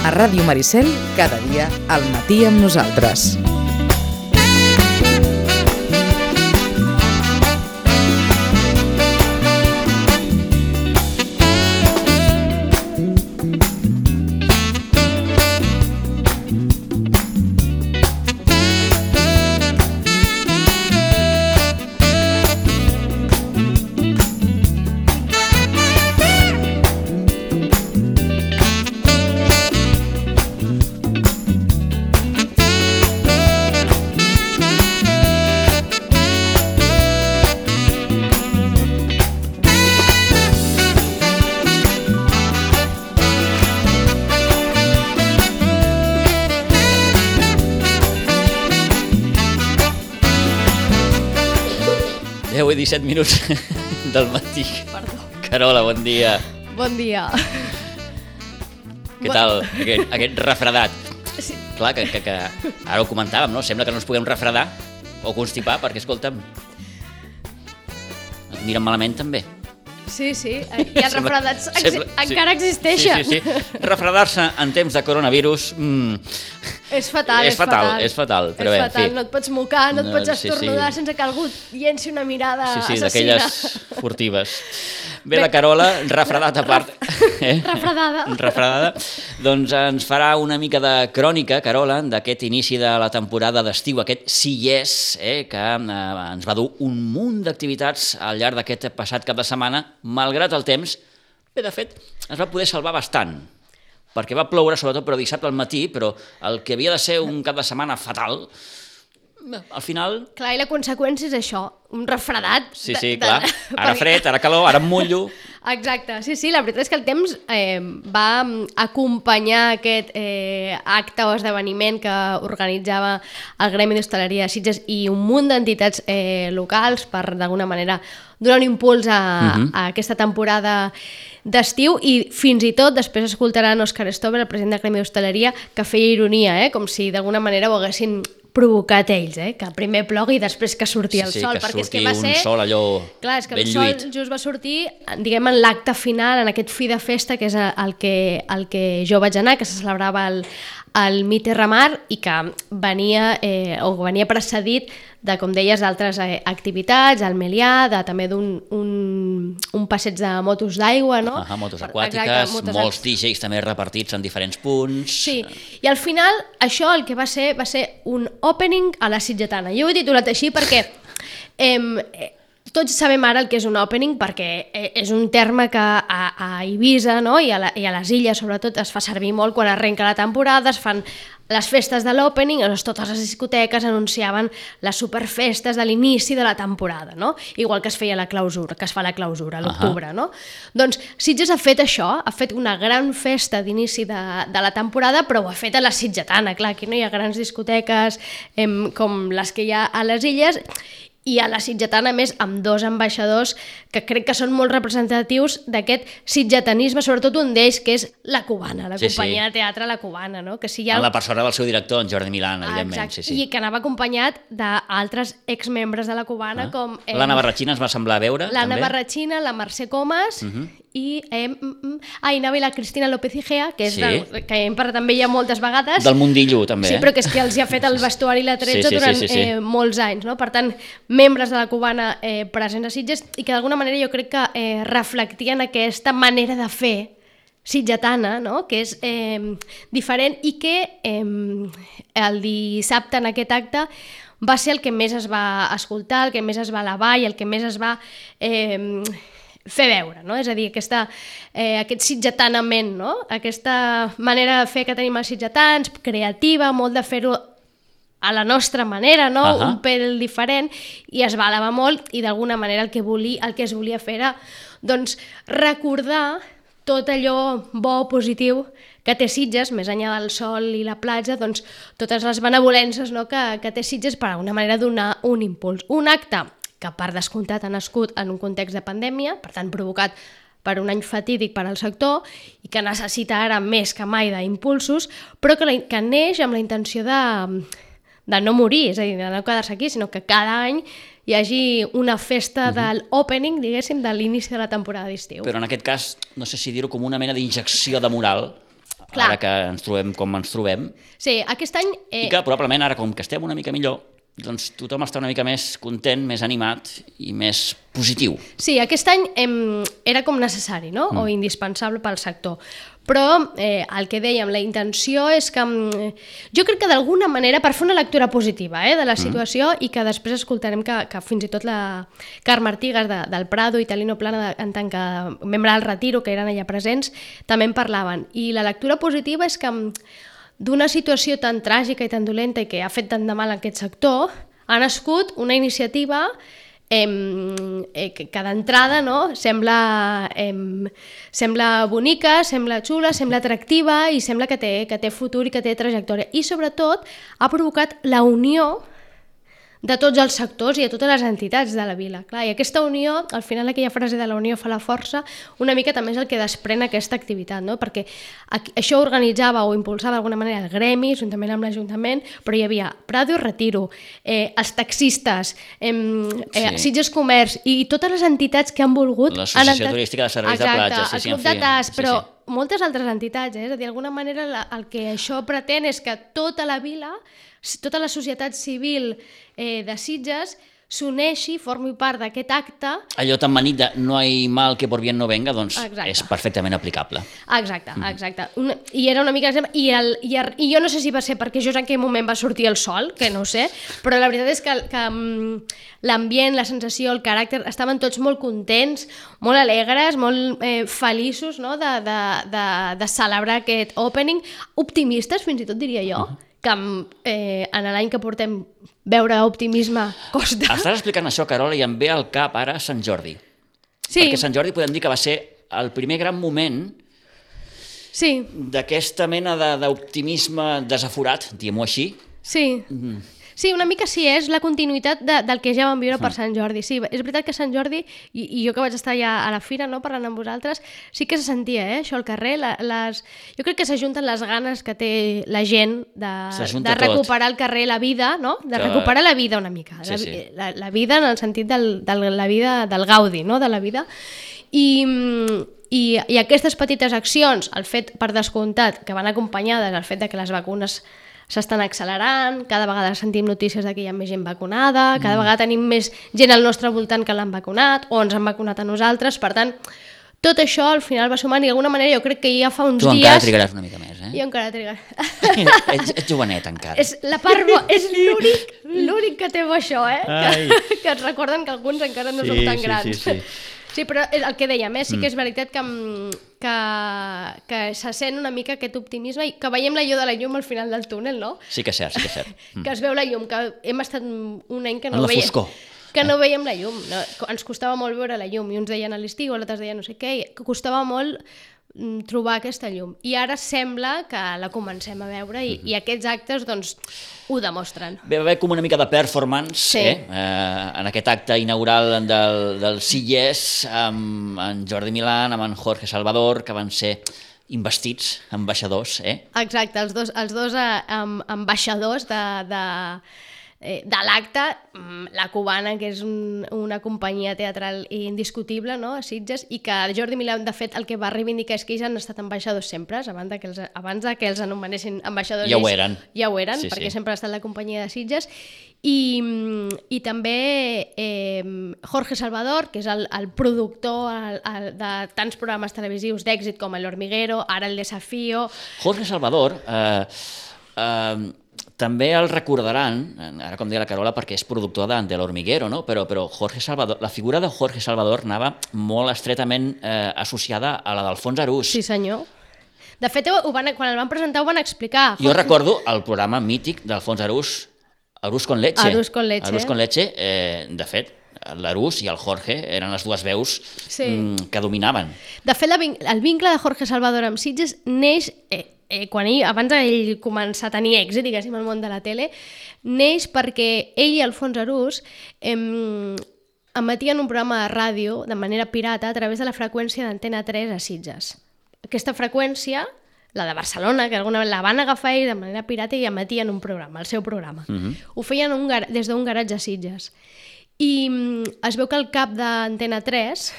A Ràdio Maricel, cada dia al matí amb nosaltres. Avui 17 minuts del matí. Perdó. Carola, bon dia. Bon dia. Què tal aquest refredat? Sí. Clar, que ara ho comentàvem, no? Sembla que no ens puguem refredar o constipar, perquè, escolta'm, ens miren malament també. Sí, i els refredats encara existeixen. Sí. Refredar-se en temps de coronavirus és fatal. Però bé, en fi. No et pots mocar, no et pots estornudar sense que algú llenci una mirada assassina. D'aquelles furtives. Bé, la Carola, refredat a part. Refredada. Doncs ens farà una mica de crònica, Carola, d'aquest inici de la temporada d'estiu, aquest Sí Yes, que ens va dur un munt d'activitats al llarg d'aquest passat cap de setmana, malgrat el temps. Bé, de fet, es va poder salvar bastant, perquè va ploure, sobretot, però dissabte al matí, però el que havia de ser un cap de setmana fatal, al final... Clar, i la conseqüència és això, un refredat. Sí, clar. Ara fred, ara calor, ara em mullo. Exacte, sí, la veritat és que el temps va acompanyar aquest acte o esdeveniment que organitzava el Gremi d'Hostaleria de Sitges i un munt d'entitats locals per, d'alguna manera, donar un impuls a aquesta temporada d'estiu, i fins i tot després escoltaran Òscar Stover, el president del Gremi d'Hostaleria, que feia ironia, com si d'alguna manera ho haguessin provocat ells, que primer plogui i després que surti el sol. Sí, que surti un sol allò ben lluït. Clar, és que el sol just va sortir, diguem, en l'acte final, en aquest fi de festa, que és el que jo vaig anar, que se celebrava el Mi Terra Mar, i que venia precedit de, com deies, d'altres activitats, al Melià, també d'un passeig de motos d'aigua, no? Motos aquàtiques, molts DJs també repartits en diferents punts. Sí, i al final això el que va ser un opening a la sitgetana. Jo ho he titulat així perquè tots sabem ara el que és un opening, perquè és un terme que a Eivissa, no? I a les illes sobretot es fa servir molt quan arrenca la temporada, es fan les festes de l'opening, totes les discoteques anunciaven les superfestes de l'inici de la temporada, no? Igual que es feia la clausura, que es fa la clausura a l'octubre, no? Doncs Sitges ha fet això, ha fet una gran festa d'inici de la temporada, però ho ha fet a la sitgetana, clar, aquí no hi ha grans discoteques com les que hi ha a les illes, i a la sitgetana, a més, amb dos ambaixadors que crec que són molt representatius d'aquest sitgetanisme, sobretot un d'ells, que és la Cubana, la companyia de teatre La Cubana, no? Que si hi ha... En la persona del seu director, en Jordi Milán, evidentment. Exacte, i que anava acompanyat d'altres exmembres de La Cubana, com... L'Anna Barratxina ens va semblar veure, també. L'Anna Barratxina, la Mercè Comas... i anava i la Cristina López Igea, que que hem parlat amb ella moltes vegades. Del mundillo, també. Sí, però que és que els hi ha fet el vestuari i la tretze durant molts anys, no? Per tant, membres de la Cubana presents a Sitges, i que d'alguna manera jo crec que reflectien aquesta manera de fer sitgetana, no? Que és diferent, i que el dissabte en aquest acte va ser el que més es va escoltar, el que més es va elevar i el que més es va fer veure, no? És a dir, aquest sitgetanament, no? Aquesta manera de fer que tenim els sitgetans, creativa, molt de fer-ho a la nostra manera, no? Un pèl diferent, i es va elevar molt, i d'alguna manera el que es volia fer era, doncs, recordar tot allò bo, positiu que té Sitges, més enllà del sol i la platja, doncs totes les benevolències, no? que té Sitges, per alguna manera donar un impuls. Un acte que per descomptat ha nascut en un context de pandèmia, per tant provocat per un any fatídic per al sector, i que necessita ara més que mai d'impulsos, però que neix amb la intenció de no morir, és a dir, de no quedar-se aquí, sinó que cada any hi hagi una festa de l'opening, diguéssim, de l'inici de la temporada d'estiu. Però en aquest cas, no sé si dir-ho com una mena d'injecció de moral ara que ens trobem com ens trobem. Sí, aquest any... I que probablement ara, com que estem una mica millor, doncs tothom està una mica més content, més animat i més positiu. Sí, aquest any era com necessari, no? O indispensable pel sector. Però el que dèiem, la intenció és que... jo crec que d'alguna manera, per fer una lectura positiva de la situació, i que després escoltarem que fins i tot la Carme Artigas del Prado i Talino Plana, en tant que membre del Retiro, que eren allà presents, també en parlaven. I la lectura positiva és que d'una situació tan tràgica i tan dolenta i que ha fet tant de mal a aquest sector, ha nascut una iniciativa que d'entrada sembla bonica, sembla xula, sembla atractiva i sembla que té futur i que té trajectòria. I sobretot ha provocat la unió de tots els sectors i de totes les entitats de la vila. Clar, i aquesta unió, al final aquella frase de la unió fa la força, una mica també és el que desprèn aquesta activitat, no? Perquè això organitzava o impulsava d'alguna manera el gremi, juntament amb l'Ajuntament, però hi havia Prado i Retiro, els taxistes, Sitges Comerç i totes les entitats que han volgut... L'Associació Turística de Serveis de Platja. Exacte, el Club de Tas, però moltes altres entitats, és a dir, d'alguna manera el que això pretén és que tota la vila, tota la societat civil de Sitges s'uneixi, formi part d'aquest acte. Allò tan manit de no hay mal que por bien no venga, doncs és perfectament aplicable. Exacte. I era una mica... I jo no sé si va ser perquè just en aquell moment va sortir el sol, que no ho sé, però la veritat és que l'ambient, la sensació, el caràcter, estaven tots molt contents, molt alegres, molt feliços de celebrar aquest opening, optimistes fins i tot diria jo, que en l'any que portem veure optimisme costa. Estàs explicant això, Carola, i em ve al cap ara Sant Jordi. Sí. Perquè Sant Jordi podem dir que va ser el primer gran moment d'aquesta mena d'optimisme desaforat, diguem-ho així. Sí. Sí, una mica sí, és la continuïtat del que ja vam viure per Sant Jordi. Sí, és veritat que Sant Jordi, i jo que vaig estar ja a la fira parlant amb vosaltres, sí que se sentia això al carrer. Jo crec que s'ajunten les ganes que té la gent de recuperar el carrer, la vida, no? De recuperar la vida una mica. La vida en el sentit de la vida del gaudi, no? De la vida. I aquestes petites accions, el fet per descomptat, que van acompanyades al fet de que les vacunes s'estan accelerant, cada vegada sentim notícies de que hi ha més gent vacunada, cada vegada tenim més gent al nostre voltant que l'han vacunat o ens han vacunat a nosaltres, per tant, tot això al final va sumant i d'alguna manera jo crec que ja fa uns dies... Tu encara trigaràs una mica més, Jo encara trigaràs. Ets jovenet encara. És l'únic que té bo això, que et recorden que alguns encara no som tan grans. Sí, però el que dèiem, sí que és veritat que se sent una mica aquest optimisme i que veiem la llum de la llum al final del túnel, no? Sí que és cert, Que es veu la llum, que hem estat un any que no veiem... En la foscor. Que no veiem la llum. Ens costava molt veure la llum, i uns deien a l'estiu, altres deien no sé què, que costava molt trobar aquesta llum. I ara sembla que la comencem a veure i aquests actes doncs ho demostren. Ve haver com una mica de performance en aquest acte inaugural del Sitges amb en Jordi Milán, amb en Jorge Salvador, que van ser investits ambaixadors. Exacte, els dos ambaixadors de l'acte, la Cubana, que és una companyia teatral indiscutible, no?, a Sitges, i que Jordi Milán, de fet, el que va reivindicar és que ells han estat ambaixadors sempre, abans que els anomenessin ambaixadors. Ja ho eren. Ja ho eren, perquè sempre ha estat la companyia de Sitges. I també Jorge Salvador, que és el productor de tants programes televisius d'èxit com El Hormiguero, ara El Desafío... Jorge Salvador... també el recordaran, ara com deia la Carola, perquè és productor de l'Hormiguero, no? Però Jorge Salvador, la figura de Jorge Salvador anava molt estretament associada a la d'Alfons Arús. Sí, senyor. De fet, quan el van presentar ho van explicar. Jo recordo el programa mític d'Alfons Arús, Arús con leche. Arús con leche. Arús con leche, de fet, l'Arús i el Jorge eren les dues veus que dominaven. De fet, el vincle de Jorge Salvador amb Sitges neix... abans d'ell començar a tenir èxit, diguéssim, al món de la tele, neix perquè ell i Alfons Arús emetien un programa de ràdio de manera pirata a través de la freqüència d'Antena 3 a Sitges. Aquesta freqüència, la de Barcelona, que alguna vegada la van agafar ells de manera pirata i emetien un programa, el seu programa. Ho feien des d'un garatge a Sitges. I es veu que el cap d'Antena 3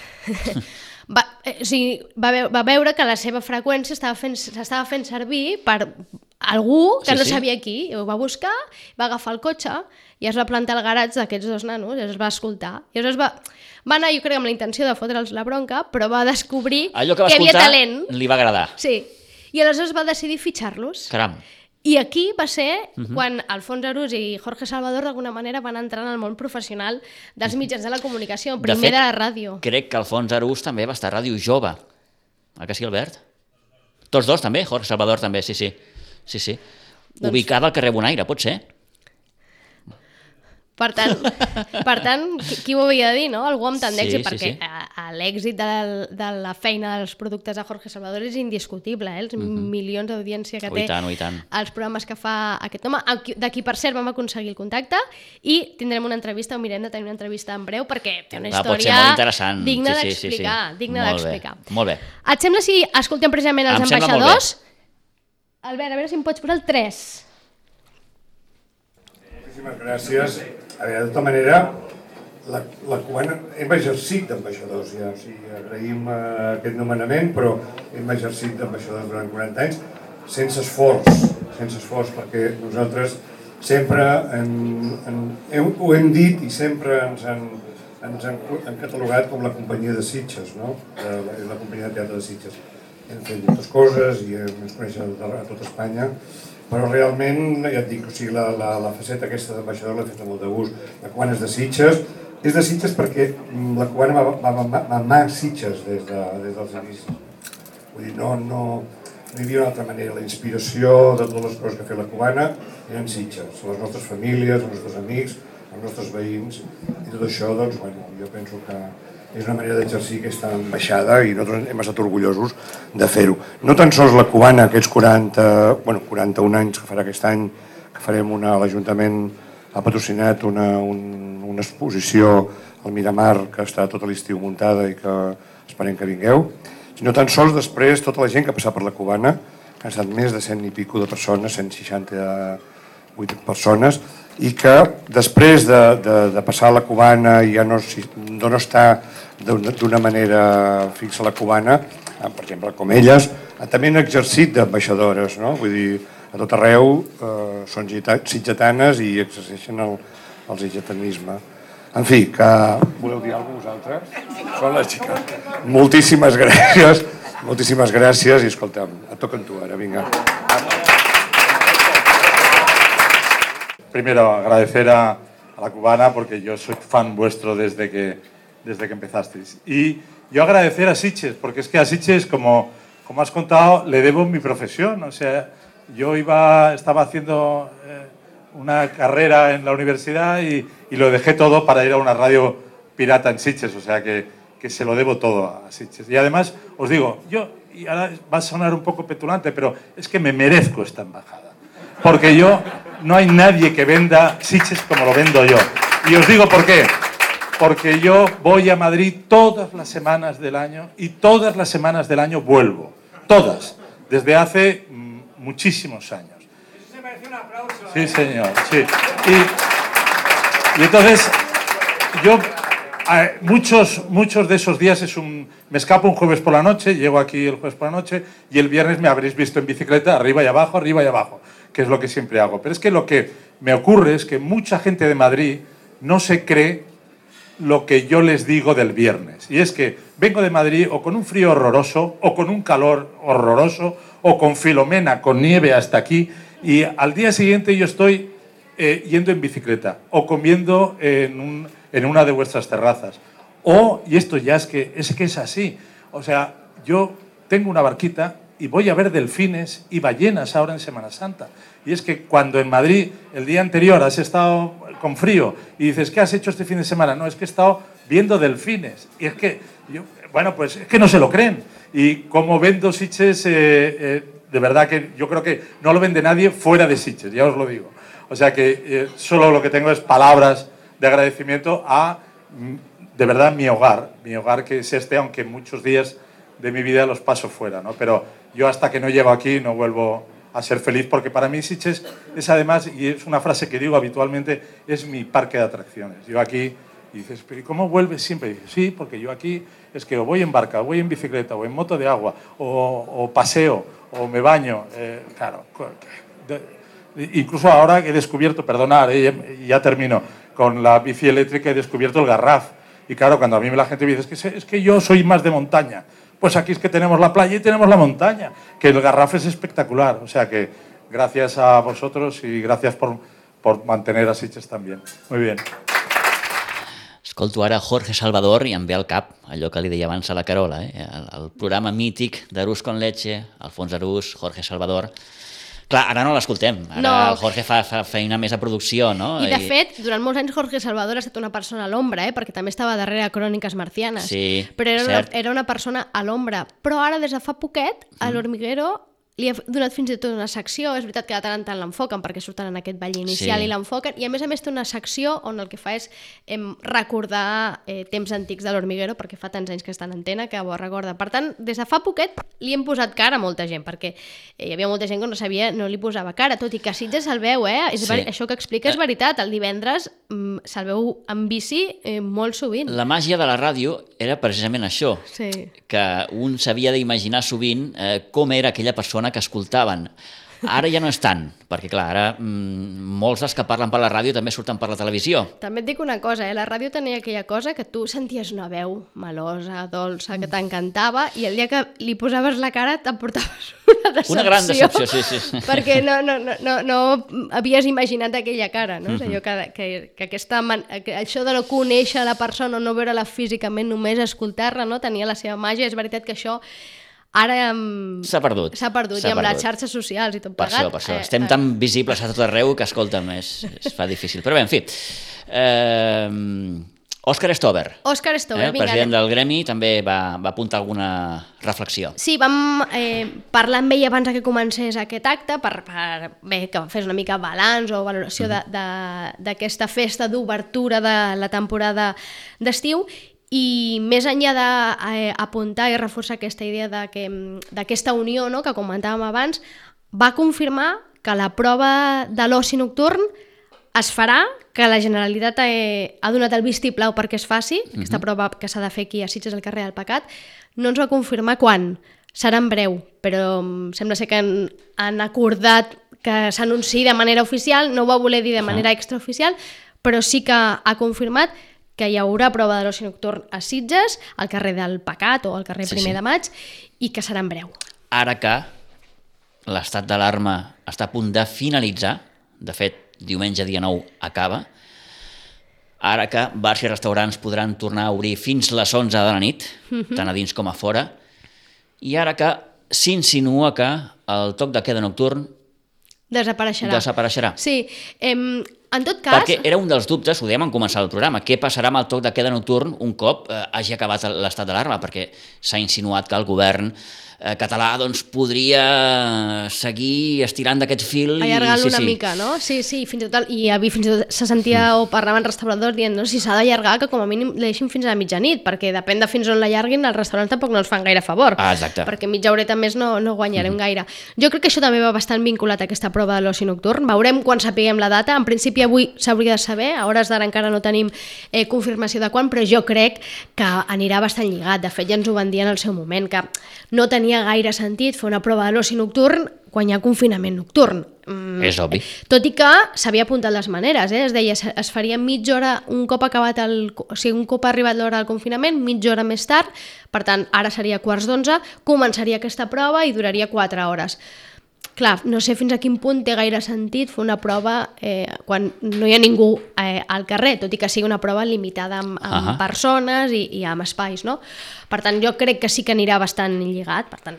va veure que la seva freqüència s'estava fent servir per algú que no sabia qui, i ho va buscar, va agafar el cotxe i es va plantar al garatge d'aquests dos nanos i es va escoltar. I aleshores va anar, jo crec, amb la intenció de fotre'ls la bronca, però va descobrir allò que va havia escoltar talent. Li va agradar. Sí, i aleshores va decidir fitxar-los. Caram. I aquí va ser quan Alfons Arús i Jorge Salvador d'alguna manera van entrar en el món professional dels mitjans de la comunicació, primer de la ràdio. Crec que Alfons Arús també va estar a Ràdio Jove. Que sí, Albert? Tots dos també, Jorge Salvador també, sí. Ubicada al carrer Bonaire, pot ser? Per tant, qui ho havia de dir, no? Algú amb tant d'èxit, perquè l'èxit de la feina dels productes de Jorge Salvador és indiscutible, els milions d'audiència que té els programes que fa aquest home, de qui, per cert, vam aconseguir el contacte, i tindrem una entrevista, o mirem de tenir una entrevista en breu, perquè té una història digna d'explicar. Molt bé. Et sembla si escoltem precisament els ambaixadors? Albert, a veure si em pots posar el 3. Moltíssimes gràcies. A veure, de tota manera, la cubana hem exercit d'ambaixadors, ja, o sigui, agraïm aquest nomenament, però hem exercit d'ambaixadors durant 40 anys sense esforç, perquè nosaltres sempre ho hem dit i sempre ens han catalogat com la companyia de Sitges, no? La companyia de teatre de Sitges. Hem fet moltes coses i ens coneixen a tot Espanya, però realment, ja et dic, o sigui, la faceta aquesta d'ambaixador l'he fet amb molt de gust. La cubana és de Sitges. És de Sitges perquè la cubana va mamar Sitges des dels inicis. Vull dir, no hi havia una altra manera. La inspiració de totes les coses que ha fet la cubana eren Sitges. Les nostres famílies, els nostres amics, els nostres veïns, i tot això, doncs, bueno, jo penso que és una manera d'exercir aquesta ambaixada i nosaltres hem estat orgullosos de fer-ho. No tan sols la cubana, aquests 41 anys que farà aquest any, que farem l'Ajuntament ha patrocinat una exposició al Miramar que està tot l'estiu muntada i que esperem que vingueu, sinó tan sols després tota la gent que ha passat per la cubana, que han estat més de 100 i pico de persones, 168 persones, i que després de passar a la cubana i ja no estar d'una manera fixa a la cubana, per exemple, com elles, també han exercit d'ambaixadores, no? Vull dir, a tot arreu són sitgetanes i exerceixen el sitgetanisme. En fi, que voleu dir alguna cosa vosaltres? Són les xiques. Moltíssimes gràcies i escolta'm, et toca amb tu ara, vinga. Primero, agradecer a la cubana porque yo soy fan vuestro desde que empezasteis. Y yo agradecer a Sitges, porque es que a Sitges, como has contado, le debo mi profesión. O sea, yo estaba haciendo una carrera en la universidad y lo dejé todo para ir a una radio pirata en Sitges. O sea, que se lo debo todo a Sitges. Y además, os digo, y ahora va a sonar un poco petulante, pero es que me merezco esta embajada. Porque no hay nadie que venda Sitges como lo vendo yo. Y os digo por qué. Porque yo voy a Madrid todas las semanas del año y todas las semanas del año vuelvo. Todas. Desde hace muchísimos años. Se merece un aplauso. Sí, señor. Sí. Y entonces, yo muchos de esos días me escapo un jueves por la noche, llego aquí el jueves por la noche y el viernes me habréis visto en bicicleta arriba y abajo, que es lo que siempre hago. Pero es que lo que me ocurre es que mucha gente de Madrid no se cree lo que yo les digo del viernes. Y es que vengo de Madrid o con un frío horroroso, o con un calor horroroso, o con Filomena, con nieve hasta aquí, y al día siguiente yo estoy yendo en bicicleta, o comiendo en una de vuestras terrazas. Y esto ya es que es así. O sea, yo tengo una barquita y voy a ver delfines y ballenas ahora en Semana Santa. Y es que cuando en Madrid el día anterior has estado con frío y dices, ¿qué has hecho este fin de semana? No, es que he estado viendo delfines. Y es que, pues es que no se lo creen. Y como vendo Sitges, de verdad que yo creo que no lo vende nadie fuera de Sitges, ya os lo digo. O sea que solo lo que tengo es palabras de agradecimiento a, de verdad, mi hogar que es este, aunque muchos días de mi vida los paso fuera, ¿no? Pero yo hasta que no llego aquí no vuelvo a ser feliz, porque para mí Sitges es además, y es una frase que digo habitualmente, es mi parque de atracciones. Yo aquí Y dices, ¿pero cómo vuelves siempre? Y dices, sí, porque yo aquí es que o voy en barca, o voy en bicicleta, o en moto de agua, o paseo, o me baño. Claro, incluso ahora he descubierto, perdonad, ya termino, con la bici eléctrica he descubierto el Garraf. Y claro, cuando a mí la gente me dice, es que yo soy más de montaña, pues aquí es que tenemos la playa y tenemos la montaña, que el Garraf es espectacular. O sea que gracias a vosotros y gracias por mantener a Sitges también. Muy bien. Escolto ara Jorge Salvador i em ve al cap allò que li deia abans a la Carola, el programa mític d'Arús con Leche, Alfons Arús, Jorge Salvador. Clar, ara no l'escoltem, ara el Jorge fa feina més a producció, no? I de fet, durant molts anys Jorge Salvador ha estat una persona a l'ombra, perquè també estava darrere Cròniques Marcianes, sí, però era una persona a l'ombra. Però ara, des de fa poquet, a l'Hormiguero li ha donat fins i tot una secció. És veritat que de tant en tant l'enfoquen perquè surten en aquest ball inicial i l'enfoquen, i a més té una secció on el que fa és recordar temps antics de l'Hormiguero, perquè fa tants anys que està en antena que ho recorda. Per tant, des de fa poquet li hem posat cara a molta gent, perquè hi havia molta gent que no sabia, no li posava cara, tot i que a Sitges se'l veu, això que explica és veritat, el divendres se'l veu en bici molt sovint. La màgia de la ràdio era precisament això, que un s'havia d'imaginar sovint com era aquella persona que escoltaven. Ara ja no és tant, perquè clar, ara molts dels que parlen per la ràdio també surten per la televisió. També et dic una cosa, la ràdio tenia aquella cosa que tu senties una veu melosa, dolça, que t'encantava, i el dia que li posaves la cara t'emportaves una decepció. Una gran decepció, sí. Perquè no havies imaginat aquella cara, no? És allò que això de no conèixer la persona, no veure-la físicament, només escoltar-la, no? Tenia la seva màgia. És veritat que això ara s'ha perdut. I amb les xarxes socials i tot plegat. Per això. Estem tan visibles a tot arreu que, escolta'm, es fa difícil. Però bé, en fi. Òscar Stover, president del gremi, també va apuntar alguna reflexió. Sí, vam parlar amb ell abans que comencés aquest acte per que fes una mica balanç o valoració d'aquesta festa d'obertura de la temporada d'estiu. I més enllà d'apuntar i reforçar aquesta idea d'aquesta unió, no?, que comentàvem abans, va confirmar que la prova de l'oci nocturn es farà, que la Generalitat ha donat el vistiplau perquè es faci, aquesta prova que s'ha de fer aquí a Sitges al carrer del Pecat. No ens va confirmar quan, serà en breu, però sembla ser que han acordat que s'anunciï de manera oficial, no ho va voler dir de manera extraoficial, però sí que ha confirmat que hi haurà prova de l'oci nocturn a Sitges, al carrer del Pecat o al carrer 1 de Maig, i que serà en breu. Ara que l'estat d'alarma està a punt de finalitzar, de fet, diumenge dia 9 acaba, ara que bars i restaurants podran tornar a obrir fins les 11 de la nit, tant a dins com a fora, i ara que s'insinua que el toc de queda nocturn desapareixerà. Sí, en tot cas... Perquè era un dels dubtes, ho dèiem en començar el programa, què passarà amb el toc de queda nocturn un cop hagi acabat l'estat d'alarma, perquè s'ha insinuat que el govern català podria seguir estirant d'aquest fil. Allargar-lo una mica, no? Sí, fins i tot, se sentia o parlaven restauradors dient, no, si s'ha d'allargar, que com a mínim deixin fins a mitjanit, perquè depèn de fins on l'allarguin, els restaurants tampoc no els fan gaire favor. Exacte. Perquè mitja horeta més no guanyarem gaire. Jo crec que això també va bastant vinculat a aquesta prova de l'oci nocturn. Veurem quan sapiguem la data. En principi avui s'hauria de saber, a hores d'ara encara no tenim confirmació de quan, però jo crec que anirà bastant lligat. De fet, ja ens ho van dir en el seu moment, que no tenia gaire sentit fer una prova de l'oci nocturn quan hi ha confinament nocturn. És obvi. Tot i que s'havia apuntat les maneres, es deia, es faria mitja hora un cop acabat un cop ha arribat l'hora del confinament, mitja hora més tard, per tant, ara seria 11:15, començaria aquesta prova i duraria 4 hores. Clar, no sé fins a quin punt té gaire sentit fer una prova quan no hi ha ningú al carrer, tot i que sigui una prova limitada amb persones i amb espais, no? Per tant, jo crec que sí que anirà bastant lligat, per tant,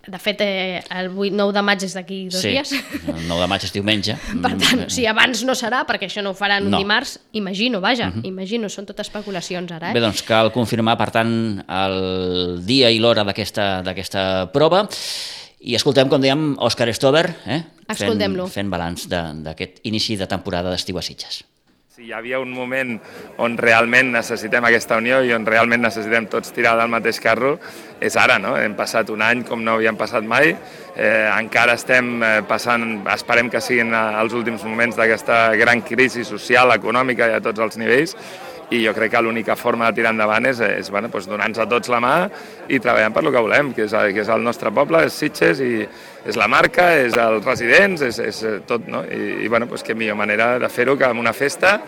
de fet, el 9 de maig és d'aquí 2 dies. El 9 de maig és diumenge. Per tant, si abans no serà, perquè això no ho faran un dimarts, imagino, són tot especulacions ara. Bé, doncs cal confirmar, per tant, el dia i l'hora d'aquesta prova. I escoltem, com dèiem, Òscar Stover, Escoltem-lo. Fent balanç d'aquest inici de temporada d'estiu a Sitges. Si hi havia un moment on realment necessitem aquesta unió i on realment necessitem tots tirar del mateix carro, és ara, no? Hem passat un any com no havíem passat mai, encara estem passant, esperem que siguin els últims moments d'aquesta gran crisi social, econòmica i a tots els nivells, i jo crec que l'única forma de tirar endavant és donar-nos a tots la mà i treballant per el que volem, que és el nostre poble, és Sitges, i és la marca, és els residents, és tot, no? I que millor manera de fer-ho que amb una festa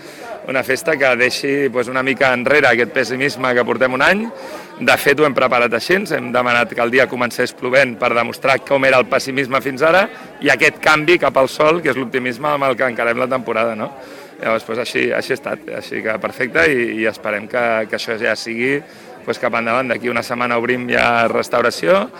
que deixi una mica enrere aquest pessimisme que portem un any. De fet, ho hem preparat així, hem demanat que el dia comencés plovent per demostrar com era el pessimisme fins ara i aquest canvi cap al sol, que és l'optimisme amb el que encarem la temporada, no? Llavors, així ha estat, així que perfecte, i esperem que això ja sigui cap endavant. D'aquí una setmana obrim ja restauració,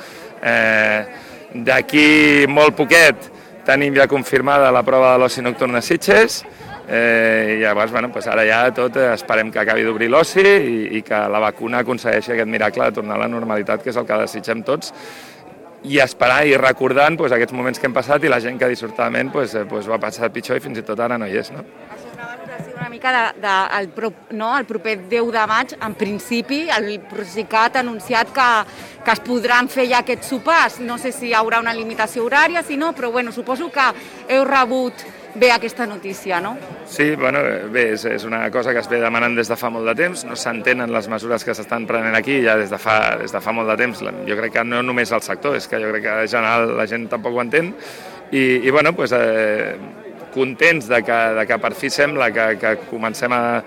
d'aquí molt poquet tenim ja confirmada la prova de l'oci nocturn a Sitges, i llavors ara ja tot esperem que acabi d'obrir l'oci i que la vacuna aconsegueixi aquest miracle de tornar a la normalitat, que és el que desitgem tots, i esperar i recordant aquests moments que hem passat i la gent que dissortadament va passar pitjor i fins i tot ara no hi és, no? Una mica el proper 10 de maig, en principi, el Procicat ha anunciat que es podran fer ja aquests sopars. No sé si hi haurà una limitació horària, si no, però suposo que heu rebut bé aquesta notícia, no? Sí, bé, és una cosa que es ve demanant des de fa molt de temps, no s'entenen les mesures que s'estan prenent aquí ja des de fa molt de temps. Jo crec que no només el sector, és que jo crec que en general la gent tampoc ho entén, i contents de que per fi sembla que comencem a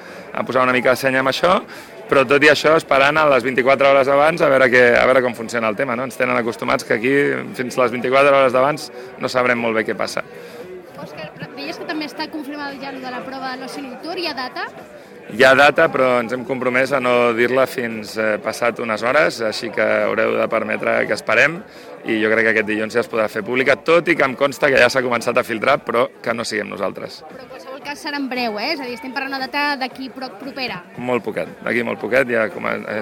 posar una mica de seny amb això, però tot i això esperant a les 24 hores abans a veure com funciona el tema, no? Ens tenen acostumats que aquí fins les 24 hores d'abans no sabrem molt bé què passa. Òscar, deies que també està confirmada ja de la prova de l'oci nocturn, hi ha data? Hi ha data, però ens hem compromès a no dir-la fins passat unes hores, així que haureu de permetre que esperem, i jo crec que aquest dilluns ja es podrà fer pública, tot i que em consta que ja s'ha començat a filtrar, però que no siguem nosaltres. Però en qualsevol cas serà en breu, és a dir, estem parlant una data d'aquí propera. Molt poquet, d'aquí molt poquet, ja,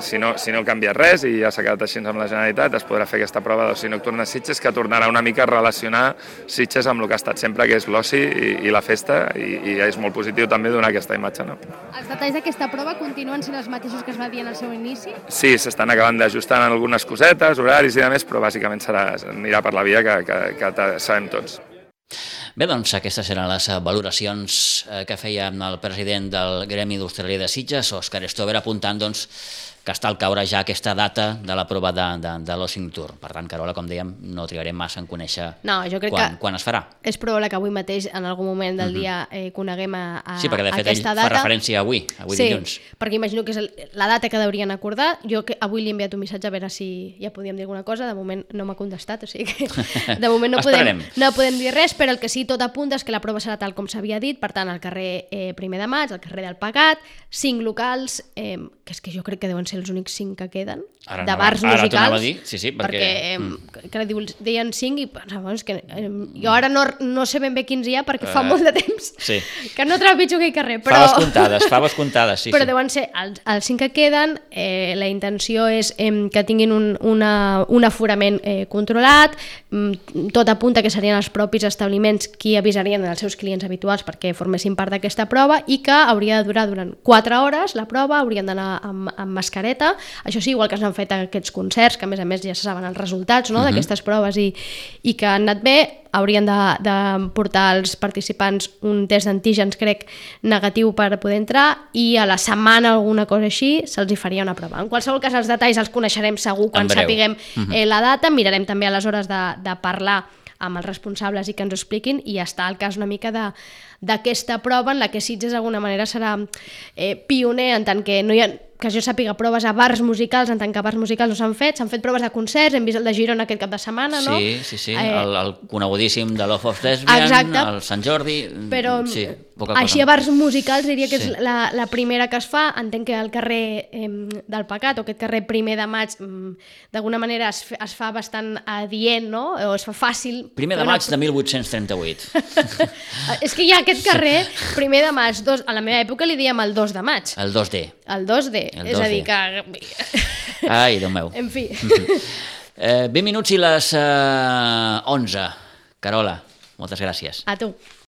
si no canvia res i ja s'ha quedat així amb la Generalitat, es podrà fer aquesta prova d'oci nocturn a Sitges, que tornarà una mica a relacionar Sitges amb el que ha estat sempre, que és l'oci i la festa, i és molt positiu també donar aquesta imatge, no? Els detalls d'aquesta prova continuen sent els mateixos que es va dir en el seu inici? Sí, s'estan acabant d'ajustar en algunes cosetes, horaris i demés, però bàsicament anirà per la via que sabem tots. Bé, doncs aquestes eren les valoracions que feia el president del Gremi d'Hostaleria de Sitges, Òscar Stover, apuntant que està al caure ja aquesta data de la prova de l'oci nocturn. Per tant, Carola, com dèiem, no trigarem massa en conèixer quan es farà. És probable que avui mateix, en algun moment del dia, coneguem aquesta data. Sí, perquè de fet ell fa referència a avui dilluns. Sí, perquè imagino que és la data que deurien acordar. Jo avui li he enviat un missatge a veure si ja podíem dir alguna cosa, de moment no m'ha contestat, o sigui que de moment no podem dir res, però el que sí tot apunta és que la prova serà tal com s'havia dit, per tant, al carrer 1 de maig, al carrer del Pegat, 5 locals, que és que jo crec que deuen ser els únics 5 que queden, de bars musicals. Ara t'ho anava a dir, sí, perquè deien 5 i pensava, que jo ara no sé ben bé quins hi ha perquè fa molt de temps que no trepitjo aquell carrer. Faves comptades, sí. Però deuen ser els 5 que queden, la intenció és que tinguin un aforament controlat, tot apunta que serien els propis establiments qui avisarien als seus clients habituals perquè formessin part d'aquesta prova i que hauria de durar durant 4 hores la prova, haurien d'anar amb mascareta, això sí, igual que s'han fet aquests concerts, que a més ja se saben els resultats d'aquestes proves i que han anat bé, haurien de portar als participants un test d'antígens, crec, negatiu per poder entrar, i a la setmana alguna cosa així se'ls hi faria una prova. En qualsevol cas, els detalls els coneixerem segur quan sapiguem la data, mirarem també aleshores de parlar amb els responsables i que ens ho expliquin, i ja està el cas una mica d'aquesta prova en la que Sitges d'alguna manera serà pioner en tant que no hi ha, que jo sàpiga, proves a bars musicals, en tant que bars musicals no s'han fet proves de concerts, hem vist el de Girona aquest cap de setmana, no? Sí, el conegudíssim de Love of Lesbian, el Sant Jordi, però poca cosa. Així a bars musicals diria que és la primera que es fa. Entenc que el carrer del Pecat, o aquest carrer 1 de maig, d'alguna manera es fa bastant adient, no? O es fa fàcil. 1 de maig de 1838. És que hi ha aquest carrer, 1 de maig, a la meva època li dèiem el 2 de maig. El 2D. El 2D, és a dir que... Ai, Déu meu. En fi. 20 minuts i les 11. Carola, moltes gràcies. A tu.